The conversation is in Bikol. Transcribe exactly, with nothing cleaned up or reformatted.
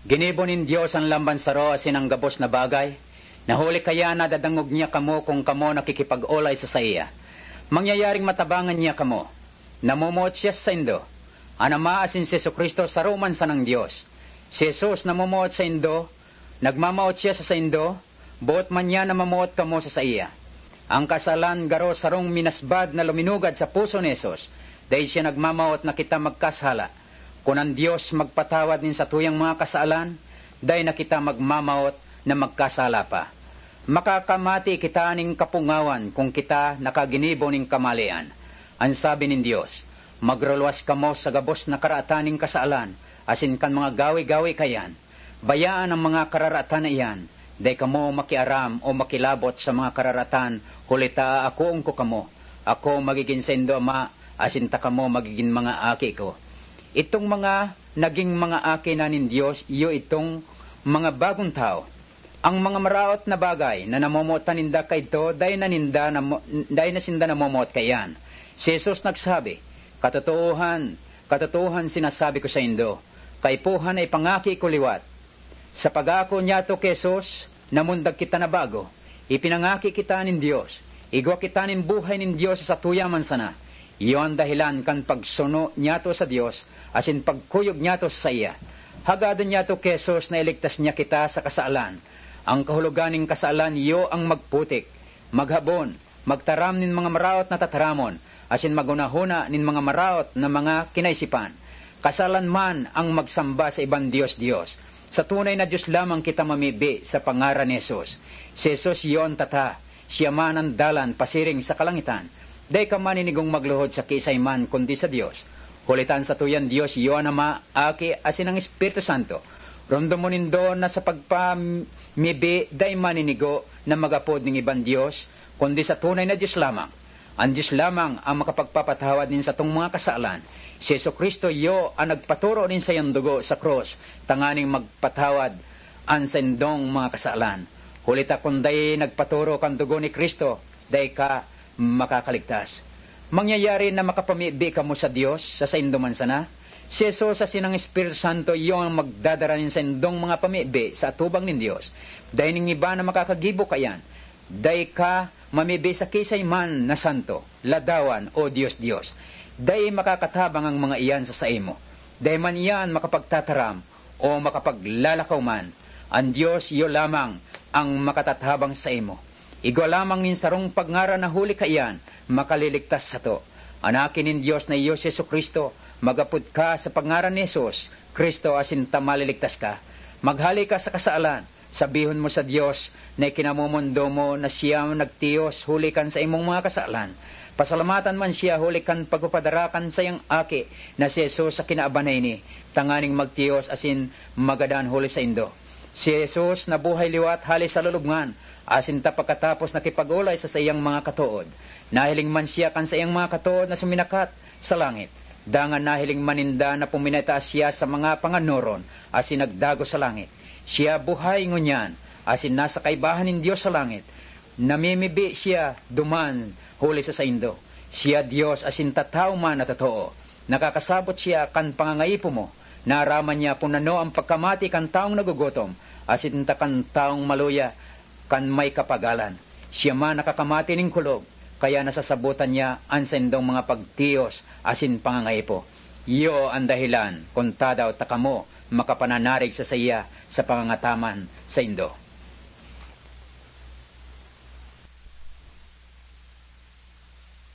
Ginibo nin Dios an lamban saro asin an gabos na bagay, na huli kaya nadadangog niya kamo kun kamo nakikipag-olay sa saiya. Mangyayaring matabangan niya kamo. Namomoot siya sa saindo. An Ama asin si Jesu-Cristo saro man sanang Dios. Si Jesus namomoot saindo, nagmamawot siya sa saindo, boot man niya na mamoot kamo sa saiya. Ang kasalan garo sarong minasbad na luminugad sa puso ni Jesus. Dai siya nagmamawot na kita magkasala. Kun an Dios magpatawad nin satuyang mga kasalan, dai na kita magmamawot na magkasala pa. Makakamati kita nin kapungawan kun kita nakaginibo nin kamalian. An sabi nin Dios, "Magruluwas kamo sa gabos na karatan nin kasalan asin kan mga gawe-gawe kaiyan." Bayaan an mga kararatan na iyan. Dai kamo makiaram o makilabot sa mga kararatan, huli ta aakoon ko kamo. Ako magigin saindo ama, asin ta kamo magigin mga aki ko. Itong mga naging mga aki na nin Dios, iyo itong mga bagong tawo. Ang mga maraot na bagay na namomotan ninda kaidto, dai na ninda namo-, dai na sinda namomoot kaiyan. Si Jesus nagsabi, "Katotoohan, katotoohan sinasabi ko saindo, kaipuhan na ipangaki ko liwat." Sa pag-aako niyato ki Jesus, namundag kita na bago. Ipinangaki kita nin Dios. Igwa kita nin buhay nin Dios sa satuya man sana. Iyo an dahelan kan pagsuno niyato sa Dios asin pagkuyog niyato sa saiya. Hagadon niyato ki Jesus na iligtas niya kita sa kasalan. Ang kahulogan nin kasalan iyo ang magputik, maghabon, magtaram nin mga maraot na tataramon, asin maghunahuna nin mga maraot na mga kinaisipan. Kasalan man ang magsamba sa ibang dios-dios. Sa tunay na Dios lamang kita mamibi sa pangaran ni Jesus. Si Jesus iyo an tata, siya man an dalan pasiring sa kalangitan. Dai ka maninigong magluhod sa kiisay man kundi sa Dios. Huli ta an satuyang Dios iyo an Ama, Aki, asin an Espiritu Santo. Romdomon nindo na sa pagpamibi dai maninigo na mag-apod nin ibang dios, kundi sa tunay na Dios lamang. An Dios lamang ang makapagpapatawad nin satong mga kasalan. Si Jesu-Cristo iyo an nagpaturo nin saiyang dugo sa krus tanganing magpatawad an saindong mga kasalan. Huli ta kun dai nagpaturo kan dugo ni Cristo, dai ka makakaligtas. Mangyayari na makapamibi kamo sa Dios sa saindo man sana. Si Jesus asin ang Espiritu Santo iyo an magdadara nin saindong mga pamibi sa atubang nin Dios. Dai nin iba na makakagibo kaiyan. Dai ka mamibi sa kiisay man na santo, ladawan, o dios-dios. Dai makakatabang ang mga iyan sa saimo. Dai man iyan makapagtataram o makapaglalakaw man. An Dios iyo lamang ang makatatabang saimo. Igwa lamang nin sarong pagngaran na huli kaiyan makaliligtas sato. An Aki nin Dios na iyo si Jesu-Cristo, mag-apod ka sa pagngaran ni Jesus Cristo asin ta maliligtas ka. Maghale ka sa kasalan, sabihon mo sa Dios na ikinamomondo mo na siya nagtiyos huli kan saimong mga kasalan. Pasalamatan man siya huli kan pagpapadara kan saiyang Aki na si Jesus sa kinaaban na ini, tanganing magtiyos asin magadan huli saindo. Si Jesus nabuhay liwat hale sa lulubngan, asin ta pagkatapos nakipag-olay sa saiyang mga katood. Nahiling man siya kan saiyang mga katood na suminakat sa langit. Dangan nahiling man ninda na puminataas siya sa mga panganoron asin nagdagos sa langit. Siya buhay ngunyan, asin nasa kaibahan nin Dios sa langit. Namimibi siya duman huli sa saindo. Siya Dios asin tatawo man na totoo. Nakakasabot siya kan pangangaipo mo. Naaraman niya kun ano ang pagkamati kan tawong nagugutom, asin ta kan tawong maluya kan may kapagalan. Siya man nakakamati nin kulog, kaya nasasabotan niya an saindong mga pagtiyos asin pangangaipo. Iyo an dahelan kun tadaw ta kamo makapananarig sa saiya sa pangangataman saindo.